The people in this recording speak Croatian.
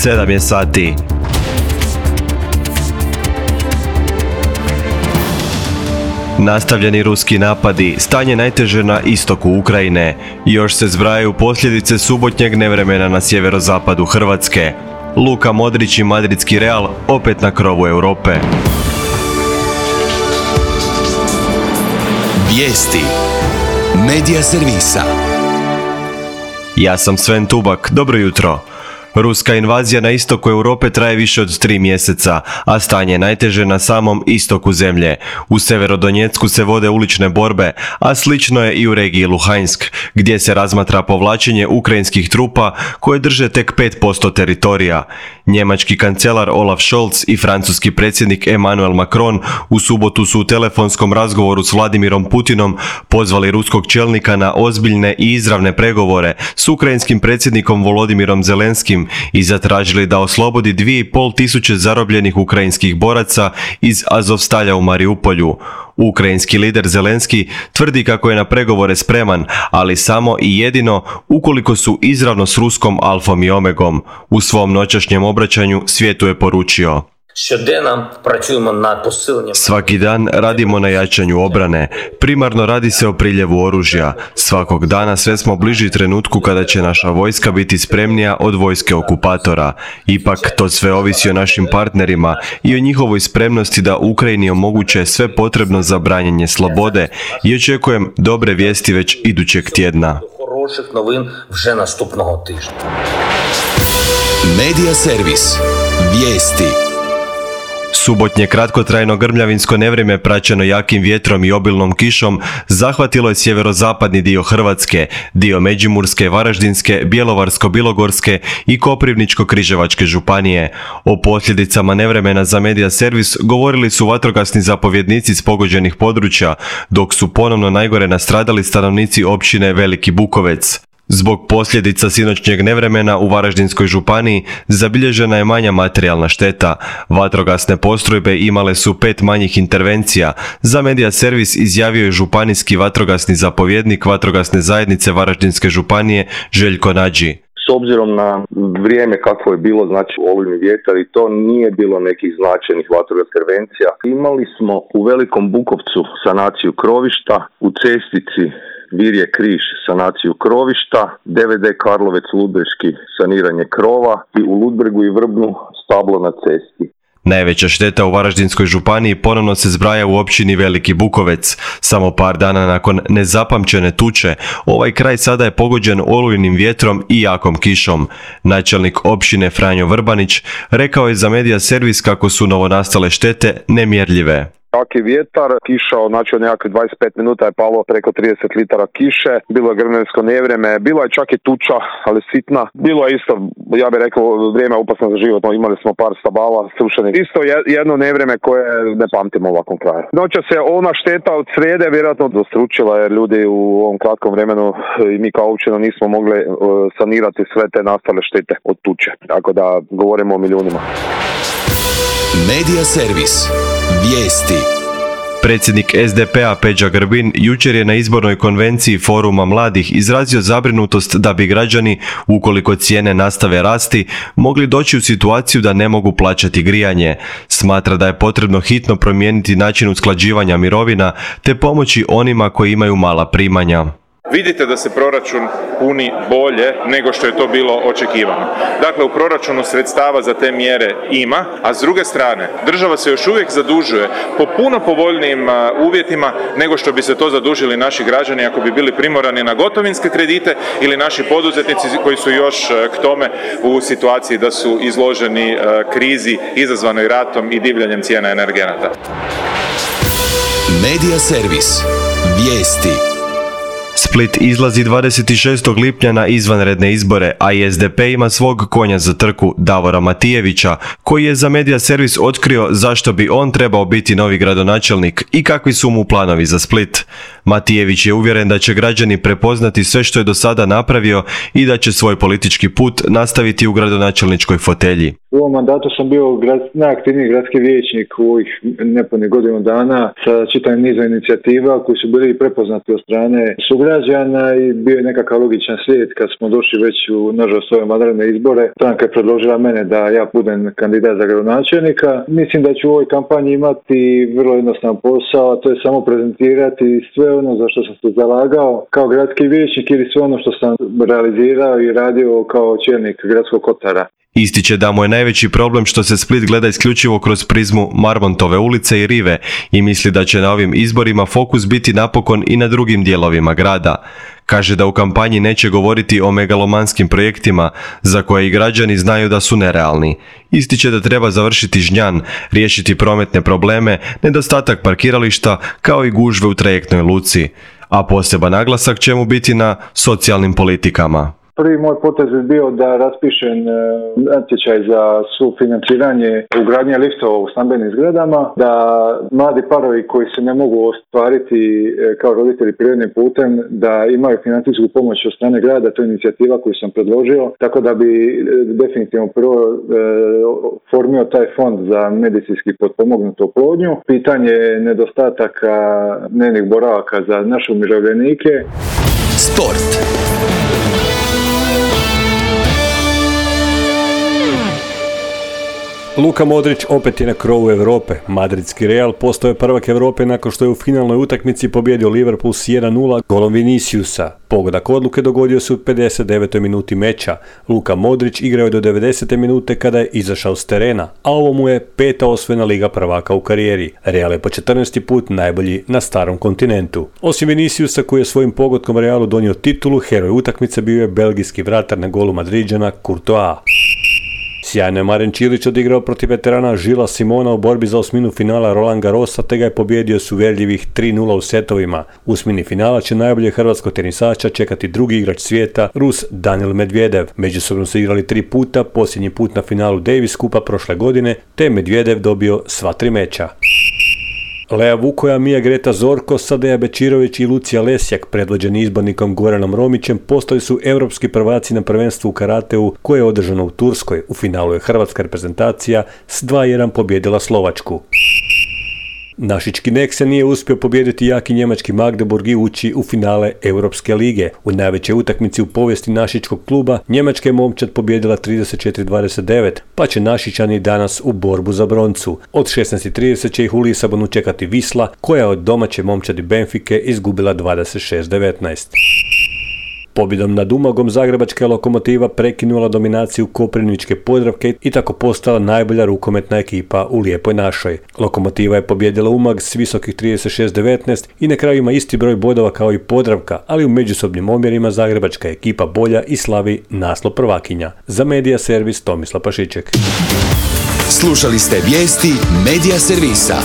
7 je sati. Nastavljeni ruski napadi, stanje najteže na istoku Ukrajine. Još se zbrajaju posljedice subotnjeg nevremena na sjeverozapadu Hrvatske. Luka Modrić i madridski Real opet na krovu Europe. Vijesti Medija servisa. Ja sam Sven Tubak, dobro jutro. Ruska invazija na istoku Europe traje više od 3 mjeseca, a stanje je najteže na samom istoku zemlje. U Severodonjecku se vode ulične borbe, a slično je i u regiji Luhansk, gdje se razmatra povlačenje ukrajinskih trupa koje drže tek 5% teritorija. Njemački kancelar Olaf Scholz i francuski predsjednik Emmanuel Macron u subotu su u telefonskom razgovoru s Vladimirom Putinom pozvali ruskog čelnika na ozbiljne i izravne pregovore s ukrajinskim predsjednikom Volodimirom Zelenskim i zatražili da oslobodi 2500 zarobljenih ukrajinskih boraca iz Azovstalja u Mariupolju. Ukrajinski lider Zelenski tvrdi kako je na pregovore spreman, ali samo i jedino ukoliko su izravno s ruskom alfom i omegom. U svom noćašnjem obraćanju svijetu je poručio: svaki dan radimo na jačanju obrane. Primarno radi se o priljevu oružja. Svakog dana sve smo bliži trenutku kada će naša vojska biti spremnija od vojske okupatora. Ipak to sve ovisi o našim partnerima i o njihovoj spremnosti da Ukrajini omoguće sve potrebno za branjenje slobode i očekujem dobre vijesti već idućeg tjedna. Medija servis. Vijesti. Subotnje kratkotrajno grmljavinsko nevrijeme praćeno jakim vjetrom i obilnom kišom zahvatilo je sjeverozapadni dio Hrvatske, dio Međimurske, Varaždinske, Bjelovarsko-bilogorske i Koprivničko-križevačke županije. O posljedicama nevremena za Medija servis govorili su vatrogasni zapovjednici s pogođenih područja, dok su ponovno najgore nastradali stanovnici općine Veliki Bukovec. Zbog posljedica sinoćnjeg nevremena u Varaždinskoj županiji zabilježena je manja materijalna šteta. Vatrogasne postrojbe imale su 5 manjih intervencija. Za Medija servis izjavio je županijski vatrogasni zapovjednik vatrogasne zajednice Varaždinske županije Željko Nađi. S obzirom na vrijeme kakvo je bilo, znači olujni vjetar i to, nije bilo nekih značajnih vatrogasnih intervencija. Imali smo u Velikom Bukovcu sanaciju krovišta, u Cestici Virje Križ sanaciju krovišta, DVD Karlovec Ludbreški saniranje krova i u Ludbregu i Vrbnu stablo na cesti. Najveća šteta u Varaždinskoj županiji ponovno se zbraja u općini Veliki Bukovec. Samo par dana nakon nezapamćene tuče, ovaj kraj sada je pogođen olujnim vjetrom i jakom kišom. Načelnik općine Franjo Vrbanić rekao je za Medija servis kako su novonastale štete nemjerljive. Jaki vjetar, kiša, znači od nekakvih 25 minuta je palo preko 30 litara kiše, bilo je grmljavinsko nevrijeme, bilo je čak i tuča, ali sitna. Bilo je isto, ja bih rekao, vrijeme opasno za život, imali smo par stabala srušenih. Isto jedno nevrijeme koje ne pamtimo u ovakvom kraju. Noća se ona šteta od srijede vjerojatno dostručila jer ljudi u ovom kratkom vremenu i mi kao općina nismo mogli sanirati sve te nastale štete od tuče. Tako da govorimo o milijunima. Medija servis. Vijesti. Predsjednik SDP-a Peđa Grbin jučer je na izbornoj konvenciji Foruma mladih izrazio zabrinutost da bi građani, ukoliko cijene nastave rasti, mogli doći u situaciju da ne mogu plaćati grijanje. Smatra da je potrebno hitno promijeniti način usklađivanja mirovina te pomoći onima koji imaju mala primanja. Vidite da se proračun puni bolje nego što je to bilo očekivano. Dakle, u proračunu sredstava za te mjere ima, a s druge strane, država se još uvijek zadužuje po puno povoljnijim uvjetima nego što bi se to zadužili naši građani ako bi bili primorani na gotovinske kredite ili naši poduzetnici koji su još k tome u situaciji da su izloženi krizi izazvanoj ratom i divljanjem cijena energenata. Medija servis. Vijesti. Split izlazi 26. lipnja na izvanredne izbore, a i SDP ima svog konja za trku, Davora Matijevića, koji je za Medija servis otkrio zašto bi on trebao biti novi gradonačelnik i kakvi su mu planovi za Split. Matijević je uvjeren da će građani prepoznati sve što je do sada napravio i da će svoj politički put nastaviti u gradonačelničkoj fotelji. U ovom mandatu sam bio najaktivniji gradski vijećnik u ovih nepunih godinu dana sa čitavim nizom inicijativa koji su bili prepoznati od strane sugrađana i bio je nekakav logičan slijed kad smo došli već u, nažalost, ove vanredne izbore. Stranka je predložila mene da ja budem kandidat za gradonačelnika. Mislim da ću u ovoj kampanji imati vrlo jednostavan posao, a to je samo prezentirati sve ono za što sam se zalagao kao gradski vijećnik ili sve ono što sam realizirao i radio kao čelnik gradskog kotara. Ističe da mu je najveći problem što se Split gleda isključivo kroz prizmu Marmontove ulice i rive i misli da će na ovim izborima fokus biti napokon i na drugim dijelovima grada. Kaže da u kampanji neće govoriti o megalomanskim projektima za koje i građani znaju da su nerealni. Ističe da treba završiti Žnjan, riješiti prometne probleme, nedostatak parkirališta kao i gužve u trajektnoj luci. A poseban naglasak će mu biti na socijalnim politikama. Prvi moj potez je bio da raspišem natječaj za sufinanciranje ugradnje liftova u stambenim zgradama, da mladi parovi koji se ne mogu ostvariti kao roditelji prirodnim putem, da imaju financijsku pomoć od strane grada, to je inicijativa koju sam predložio, tako da bi definitivno prvo formio taj fond za medicinski potpomognutu oplodnju. Pitanje nedostataka dnevnih boravaka za naše umirovljenike. Sport. Luka Modrić opet je na krovu Europe. Madridski Real postao je prvak Europe nakon što je u finalnoj utakmici pobijedio Liverpool s 1-0 golom Viniciusa. Pogodak odluke dogodio se u 59. minuti meča. Luka Modrić igrao je do 90. minute kada je izašao s terena, a ovo mu je 5. osvojena Liga prvaka u karijeri. Real je po 14. put najbolji na starom kontinentu. Osim Viniciusa koji je svojim pogodkom Realu donio titulu, heroj utakmice bio je belgijski vratar na golu Madriđana Courtois. Sjajno je Maren Čilić odigrao protiv veterana Žila Simona u borbi za osminu finala Roland Garrosa te ga je pobijedio s uvjerljivih 3-0 u setovima. U osmini finala će najbolje hrvatskog tenisača čekati drugi igrač svijeta, Rus Daniil Medvedev. Međusobno su igrali 3 puta, posljednji put na finalu Davis Kupa prošle godine, te Medvedev dobio sva 3 meča. Lea Vukoja, Mija Greta Zorko, Sadeja Bečirović i Lucija Lesjak, predvođeni izbornikom Goranom Romićem, postali su europski prvaci na prvenstvu u karateu koje je održano u Turskoj. U finalu je hrvatska reprezentacija s 2-1 pobjedila Slovačku. Našički Nek se nije uspio pobijediti jaki njemački Magdeburg i ući u finale Europske lige. U najvećoj utakmici u povijesti našičkog kluba Njemačka je momčad pobijedila 34-29, pa će Našičani danas u borbu za broncu. Od 16:30 će ih u Lisabonu čekati Wisla, koja je od domaće momčadi Benfike izgubila 26-19. Pobjedom nad Umagom zagrebačka Lokomotiva prekinula dominaciju Koprivničke Podravke i tako postala najbolja rukometna ekipa u Lijepoj našoj. Lokomotiva je pobijedila Umag s visokih 36-19 i na kraju ima isti broj bodova kao i Podravka, ali u međusobnim omjerima zagrebačka ekipa bolja i slavi naslov prvakinja. Za Medija servis Tomislav Pašiček. Slušali ste vijesti Medija servisa.